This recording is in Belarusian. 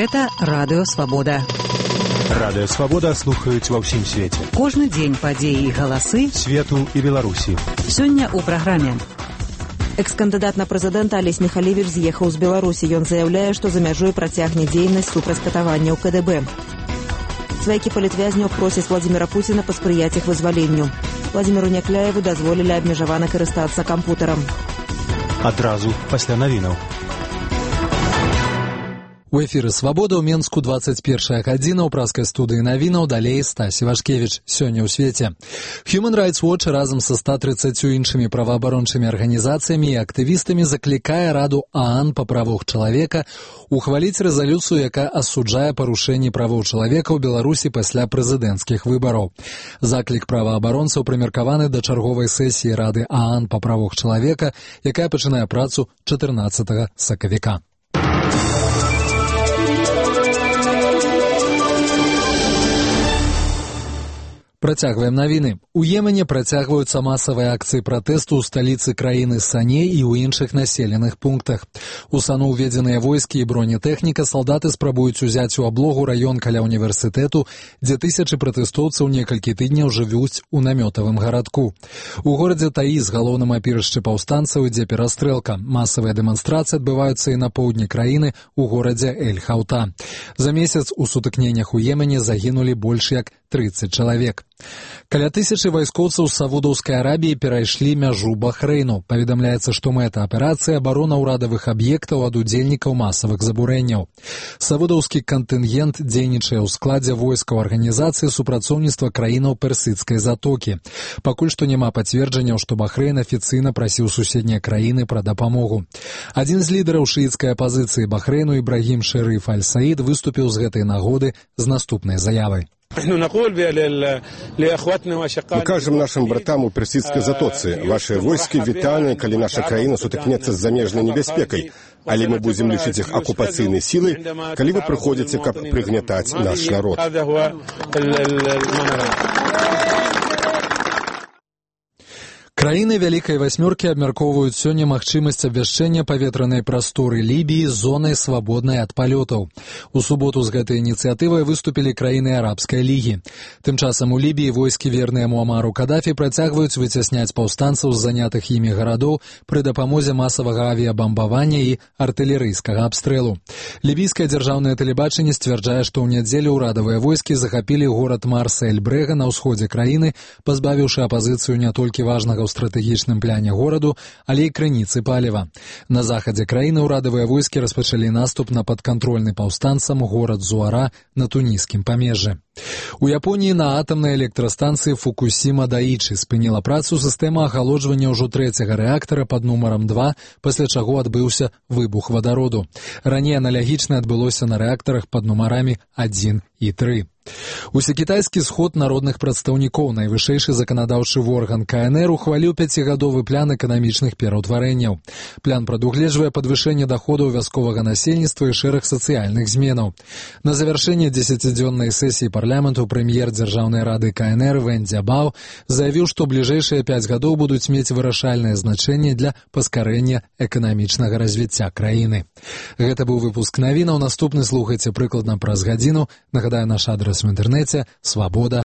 Гэта Радыё Свабода. Радыё Свабода слухаюць ва ўсім свеце. Кожны дзень падзеі і галасы свету і Беларусі. Сёння ў праграме. Экс-кандыдат на прэзідэнта Алесь Михалевич з'ехаў з Беларусі. Ён заяўляе, што за мяжой працягне дзейнасць супраць катаванняў КДБ. Сваякі палітвязняў просяць Владзіміра Пуціна паспрыяць іх вызваленню. Владзіміру Някляеву дазволілі абмежавана карыстацца кампутарам. Адразу пасля навінаў. У эфіры «Свабода» ў Менску 21 гадзіна, ў праскай студыі навінаў, далей Стась Івашкевіч. Сёння ў свеце. Human Rights Watch разам са 130 іншымі праваабарончымі арганізацыямі і актывістамі заклікае Раду ААН па правах чалавека ухваліць рэзалюцыю, якая асуджае парушэнні правоў чалавека ў Беларусі пасля прэзідэнцкіх выбараў. Заклік праваабаронцаў прымеркаваны да чарговай сесіі Рады ААН па правах чалавека, якая пачынае працу 14 сакавіка. Працягваем навіны. У Йемене працягваюцца масавыя акцыі пратэсту ў сталіцы краіны Сане і ў іншых населеных пунктах. У Сану ўведзеныя войскі і бронетэхніка, салдаты спрабуюць узяць у аблогу раён каля універсітэту, дзе тысячы пратэстоўцаў некалькі тыдняў жывуць у намётавым гарадку. У горадзе Таіз, галоўным апірышчы паўстанцаў, ідзе перастрэлка. Масавыя дэманстрацыі адбываюцца і на поўдні краіны у горадзе Эль-Хаута. За месяц у сутыкненнях у Йемене загінулі больш як 30 чалавек. Каля 1000 вайскоўцаў з Саудаўскай Арабіі перайшлі мяжу Бахрэйну. Паведамляецца, што мэта аперацыі абарона ўрадавых аб'ектаў ад удзельнікаў масавых забурэнняў. Саудаўскі кантынгент дзейнічае ў складзе войскаў арганізацыі супрацоўніцтва краінаў Персідскай затокі. Пакуль што няма пацверджанняў, што Бахрэйн афіцыйна прасіў суседнія краіны пра дапамогу. Адзін з лідараў шыіцкай апазіцыі Бахрэйну Ібрагім Шэрыф Аль-Саід выступіў з гэтай нагоды з наступнай заявай. Мы кажам нашим братам у персідскай затоцы: ваши войскі вітальны, калі наша краіна сутыкнецца з замежнай небяспекай, але мы будзем лічыць іх акупацыйнай сілай, калі вы прыходзіце, каб прыгнятаць наш народ. Краіны Вялікай Васьмёркі абмяркоўваюць сёння магчымасць абвяшчэння паветранай прасторы Лібіі зонай свабоднай ад палётаў. У суботу з гэтай ініцыятывай выступілі краіны Арабскай лігі. Тым часам у Лібіі войскі, верныя Муамару Кадафі, працягваюць выцясняць паўстанцаў з занятых імі гарадоў пры дапамозе масавага авіябамбавання і артылерыйскага абстрэлу. Лібійскае дзяржаўнае тэлебачанне сцвярджае, што ў нядзелю ўрадавыя войскі захапілі горад Марса-эль-Брэга на ўсходзе краіны, пазбавіўшы апазіцыю не толькі важнага ў стратэгічным пляне гораду, але і крыніцы паліва. На захадзе краіны ўрадавыя войскі распачалі наступ на падкантрольны паўстанцам горад Зуара на туніскім памежжы. У Японіі на атамнай электрастанцыі Фукусіма-Даічы спыніла працу сістэма ахалоджвання ўжо 3-го рэактара пад нумарам 2, пасля чаго адбыўся выбух вадароду. Раней аналагічна адбылося на рэактарах пад нумарамі 1 і 3. Усекітайскі сход народных прадстаўнікоў, найвышэйшы заканадаўчы орган КНР, ухваліў 5гадовы план эканамічных пераўтварэнняў. План прадугледжвае падвышэнне даходаў вясковага насельніцтва і шэраг сацыяльных зменаў. На завяршэнне 10-дзённай сесіі парламенту прэм'ер Дзяржаўнай рады КНР Вэн Дзябао заявіў, што бліжэйшыя 5 гадоў будуць мець вырашальнае значэнне для паскарэння эканамічнага развіцця краіны. Гэта быў выпуск навінаў. Наступны слухайце прыкладна праз гадзіну. Нагадаю, наш адрес в інтэрнэце свабода.